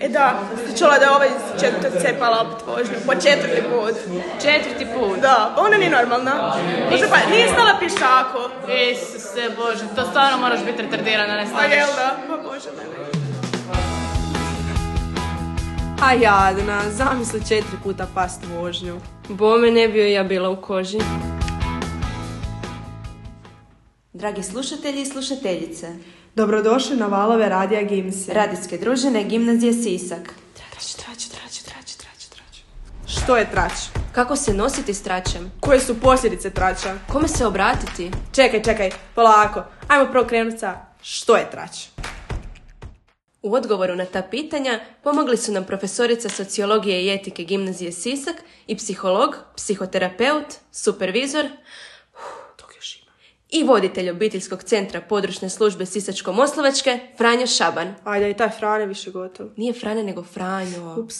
Da, ste čula da je ovaj cepala opet vožnju, po 4. put. 4. put? Da, ona nije normalna. Nije stala pješaku. Isuse Bože, to stvarno moraš biti retardirana, ne staneš. A jel da? Pa Bože mene. A jadna, zamisli 4 puta past vožnju. Bome ne bio ja bila u koži. Dragi slušatelji i slušateljice, Dobrodošli na valove Radija Gimsi. radijske družine Gimnazije Sisak. Trać. Što je trać? Kako se nositi s tračem? Koje su posljedice trača? Kome se obratiti? Čekaj, polako. Ajmo prvo krenuti sa što je trać. U odgovoru na ta pitanja pomogli su nam profesorica sociologije i etike Gimnazije Sisak i psiholog, psihoterapeut, supervizor i voditelj obiteljskog centra područne službe Sisačko-moslavačke Franjo Šaban. Ajde, i taj Frane više gotov. Nije Frane nego Franjo. Ups.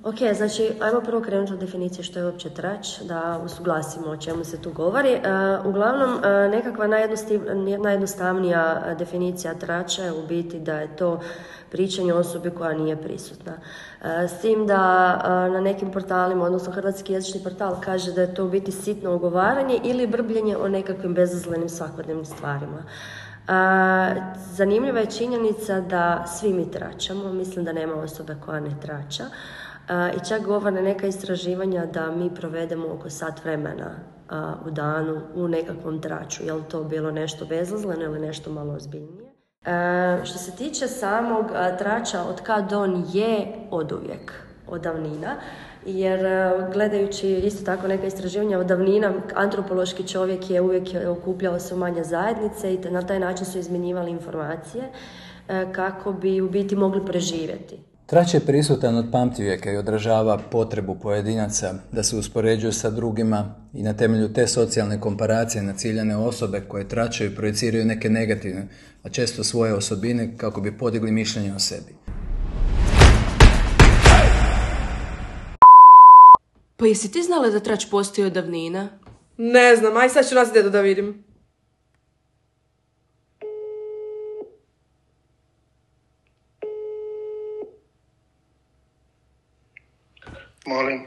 Ok, znači, ajmo prvo krenuti od definicije što je uopće trać, da usuglasimo o čemu se tu govori. Uglavnom, nekakva najjednostavnija definicija trača je u biti da je to pričanje osobe koja nije prisutna. S tim da na nekim portalima, odnosno hrvatski jezični portal kaže da je to u biti sitno ogovaranje ili brbljenje o nekakvim bezazlenim svakodnevnim stvarima. Zanimljiva je činjenica da svi mi tračamo, mislim da nema osobe koja ne trača. I čak govore neka istraživanja da mi provedemo oko sat vremena u danu u nekakvom traču. Je li to bilo nešto bezazleno ili nešto malo ozbiljnije? Što se tiče samog trača, od kad on je oduvijek, od davnina, jer gledajući isto tako neka istraživanja od davnina, antropološki čovjek je uvijek okupljao se u manje zajednice i na taj način su izmjenjivali informacije kako bi u biti mogli preživjeti. Trać je prisutan od pamtivijeka i odražava potrebu pojedinaca da se uspoređuju sa drugima i na temelju te socijalne komparacije na ciljane osobe koje tračaju i projiciraju neke negativne, a često svoje osobine kako bi podigli mišljenje o sebi. Pa jesi ti znala da trać postoji od davnina? Ne znam, aj sad ću nas dedu da vidim. Molim.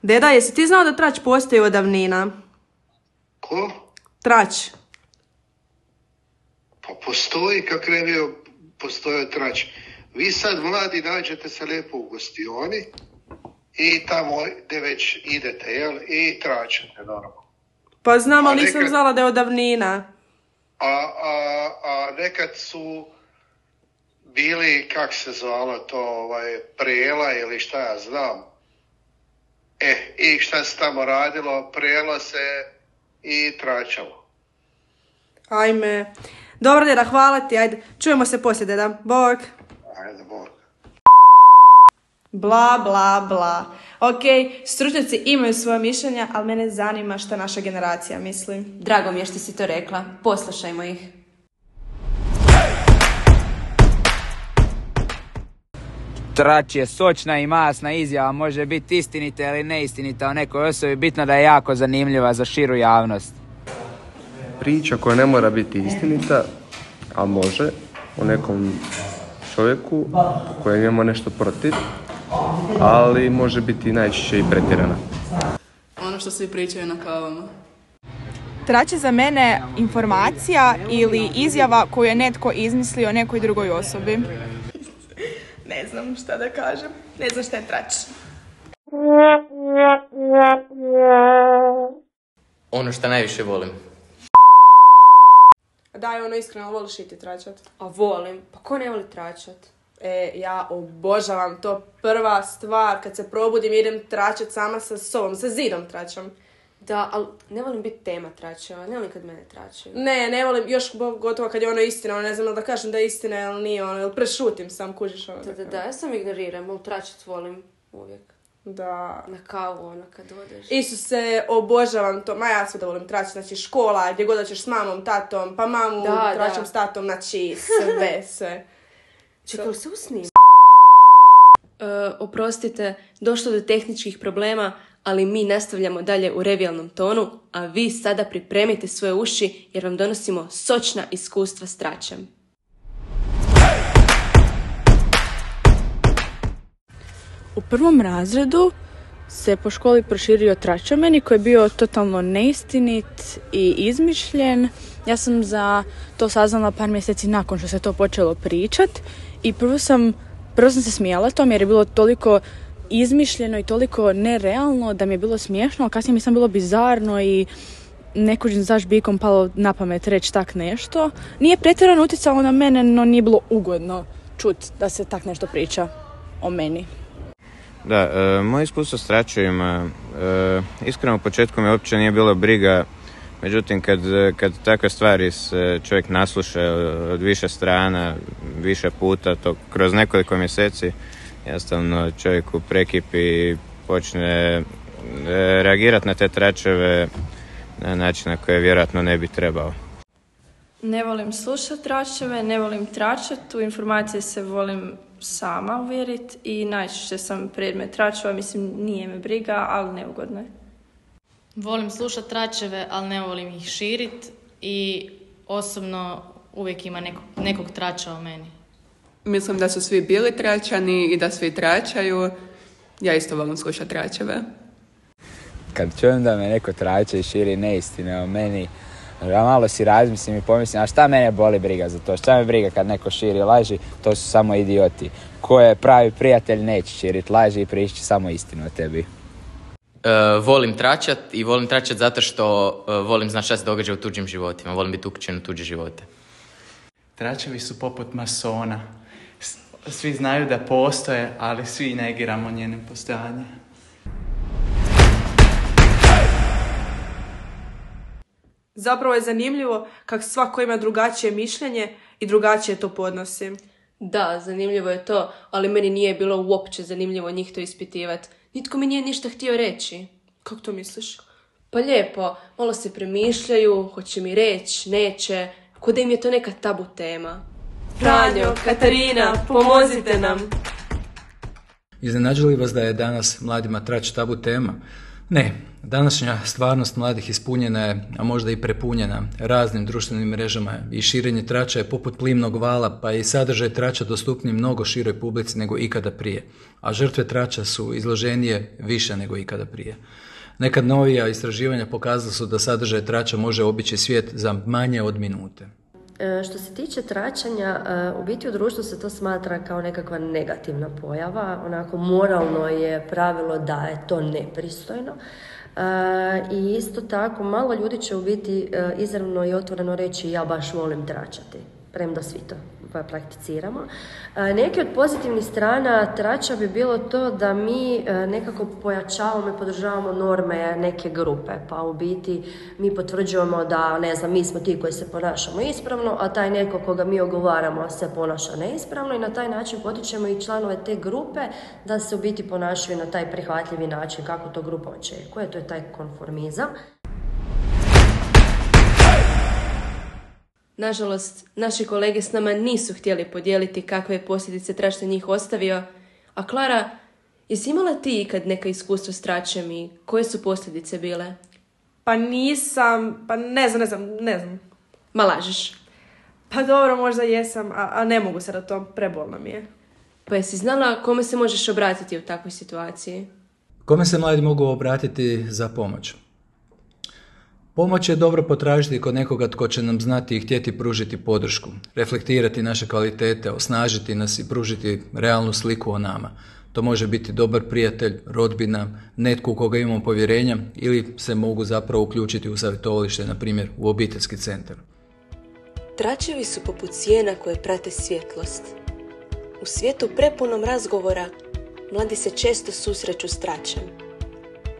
Deda, jesi ti znao da trać postoji od davnina? Ko? Trać. Pa postoji, kak ne bi postojao trać. Vi sad mladi nađete se lijepo u gostioni i tamo gdje već idete, jel? I tračete, normalno. Pa znam, ali nisam znala da je od davnina. A nekad su bili, kak se zvalo to, prela ili šta ja znam. I šta se tamo radilo, prelo se i tračalo. Ajme. Dobro, deda, hvala ti, ajde. Čujemo se poslije, deda. Bog. Ajde, bog. Bla. Ok, stručnjaci imaju svoje mišljenja, ali mene zanima šta naša generacija misli. Drago mi je što si to rekla. Poslušajmo ih. Trać je sočna i masna izjava, može biti istinita ili neistinita o nekoj osobi, bitno da je jako zanimljiva za širu javnost. Priča koja ne mora biti istinita, a može, o nekom čovjeku koji ima nešto protiv, ali može biti najčešće i pretjerana. Ono što svi pričaju na kavama. Trać je za mene informacija ili izjava koju je netko izmislio nekoj drugoj osobi. Ne znam šta da kažem. Ne znam šta je trać. Ono što najviše volim. Daj, ono iskreno, voliš i ti tračat? A volim. Pa ko ne voli tračat? Ja obožavam to. Prva stvar, kad se probudim, idem tračat sama sa sobom, sa zidom tračam. Da, ali ne volim biti tema tračeva, ne volim kad mene tračaju. Ne volim, još gotovo kad je ono istina, ne znam da kažem da je istina ili nije, ili prešutim sam, kužiš ono. Da, ja sam ignoriram, ali tračat volim uvijek. Da. Na kavu, kad odeš. Isuse, obožavam to, ja sve da volim tračat, znači škola, gdje god hoćeš s mamom, tatom, pa mamu tračam s tatom, znači sve. Čekaj, se usnim? Oprostite, došlo do tehničkih problema, ali mi nastavljamo dalje u revijalnom tonu, a vi sada pripremite svoje uši jer vam donosimo sočna iskustva s tračem. U prvom razredu se po školi proširio trač o meni koji je bio totalno neistinit i izmišljen. Ja sam za to saznala par mjeseci nakon što se to počelo pričat i prvo sam se smijala tom jer je bilo toliko izmišljeno i toliko nerealno da mi je bilo smiješno, a kasnije mi sam bilo bizarno i nekužim zaš bikom palo na pamet reći tak nešto. Nije pretjerano utjecalo na mene, no nije bilo ugodno čut da se tak nešto priča o meni. Da, moje iskustvo s tračevima, iskreno u početku me uopće nije bilo briga, međutim kad takve stvari se čovjek nasluša od više strana, više puta, to kroz nekoliko mjeseci, jednostavno čovjeku prekipi i počne reagirati na te tračeve na način na koji vjerojatno ne bi trebao. Ne volim slušati tračeve, ne volim tračati, u informacije se volim sama uvjeriti i najčešće sam predmet tračeva, mislim nije me briga, ali neugodno je. Volim slušati tračeve, ali ne volim ih širiti i osobno uvijek ima nekog trača o meni. Mislim da su svi bili tračani i da svi tračaju. Ja isto volim slušati tračeve. Kad čujem da me neko trače i širi neistine o meni, ja malo si razmislim i pomislim, a šta mene boli briga za to? Šta me briga kad neko širi laži? To su samo idioti. Ko je pravi prijatelj neće širiti laži i pričati samo istinu o tebi. Volim tračat i volim tračat zato što volim znati šta se događa u tuđim životima. Volim biti uključen u tuđe živote. Tračevi su poput masona. Svi znaju da postoje, ali svi negiramo njenim postojanje. Zapravo je zanimljivo kako svako ima drugačije mišljenje i drugačije to podnosi. Da, zanimljivo je to, ali meni nije bilo uopće zanimljivo njih to ispitivati. Nitko mi nije ništa htio reći. Kako to misliš? Pa lijepo, malo se premišljaju, hoće mi reći, neće, ko da im je to neka tabu tema. Franjo, Katarina, pomozite nam! Iznenađuje li vas da je danas mladima trač tabu tema? Ne, današnja stvarnost mladih ispunjena je, a možda i prepunjena raznim društvenim mrežama i širenje trača je poput plimnog vala, pa je i sadržaj trača dostupniji mnogo široj publici nego ikada prije, a žrtve trača su izloženije više nego ikada prije. Nekad novija istraživanja pokazala su da sadržaj trača može obići svijet za manje od minute. Što se tiče tračanja, u biti u društvu se to smatra kao nekakva negativna pojava, onako moralno je pravilo da je to nepristojno. I isto tako malo ljudi će u biti izravno i otvoreno reći ja baš volim tračati, premda svi to prakticiramo. Neki od pozitivnih strana trača bi bilo to da mi nekako pojačavamo i podržavamo norme neke grupe, pa u biti mi potvrđujemo da, ne znam, mi smo ti koji se ponašamo ispravno, a taj neko koga mi ogovaramo se ponaša neispravno i na taj način potičemo i članove te grupe da se u biti ponašaju na taj prihvatljivi način kako to grupa očekuje, to je taj konformizam. Nažalost, naši kolege s nama nisu htjeli podijeliti kakve je posljedice trač na njih ostavio. A Klara, jesi imala ti ikad neka iskustvo s tračem i koje su posljedice bile? Pa nisam, pa ne znam. Ma lažeš. Pa dobro, možda jesam, a ne mogu se da to, prebolno mi je. Pa jesi znala kome se možeš obratiti u takvoj situaciji? Kome se mladi mogu obratiti za pomoć? Pomoć je dobro potražiti kod nekoga tko će nam znati i htjeti pružiti podršku, reflektirati naše kvalitete, osnažiti nas i pružiti realnu sliku o nama. To može biti dobar prijatelj, rodbina, netko u koga imamo povjerenja ili se mogu zapravo uključiti u savjetovalište, na primjer u obiteljski centar. Tračevi su poput sjena koje prate svjetlost. U svijetu prepunom razgovora mladi se često susreću s tračem.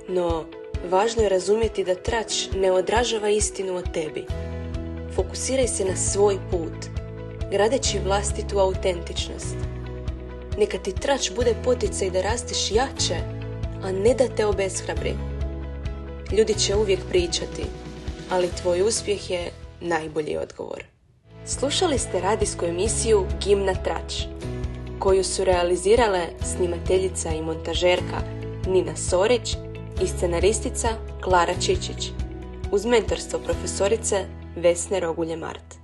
No, važno je razumjeti da trač ne odražava istinu o tebi. Fokusiraj se na svoj put, gradeći vlastitu autentičnost. Neka ti trač bude poticaj da rasteš jače, a ne da te obeshrabri. Ljudi će uvijek pričati, ali tvoj uspjeh je najbolji odgovor. Slušali ste radijsku emisiju Gimna trač, koju su realizirale snimateljica i montažerka Nina Sorić i scenaristica Klara Čičić, uz mentorstvo profesorice Vesne Rogulje-Mart.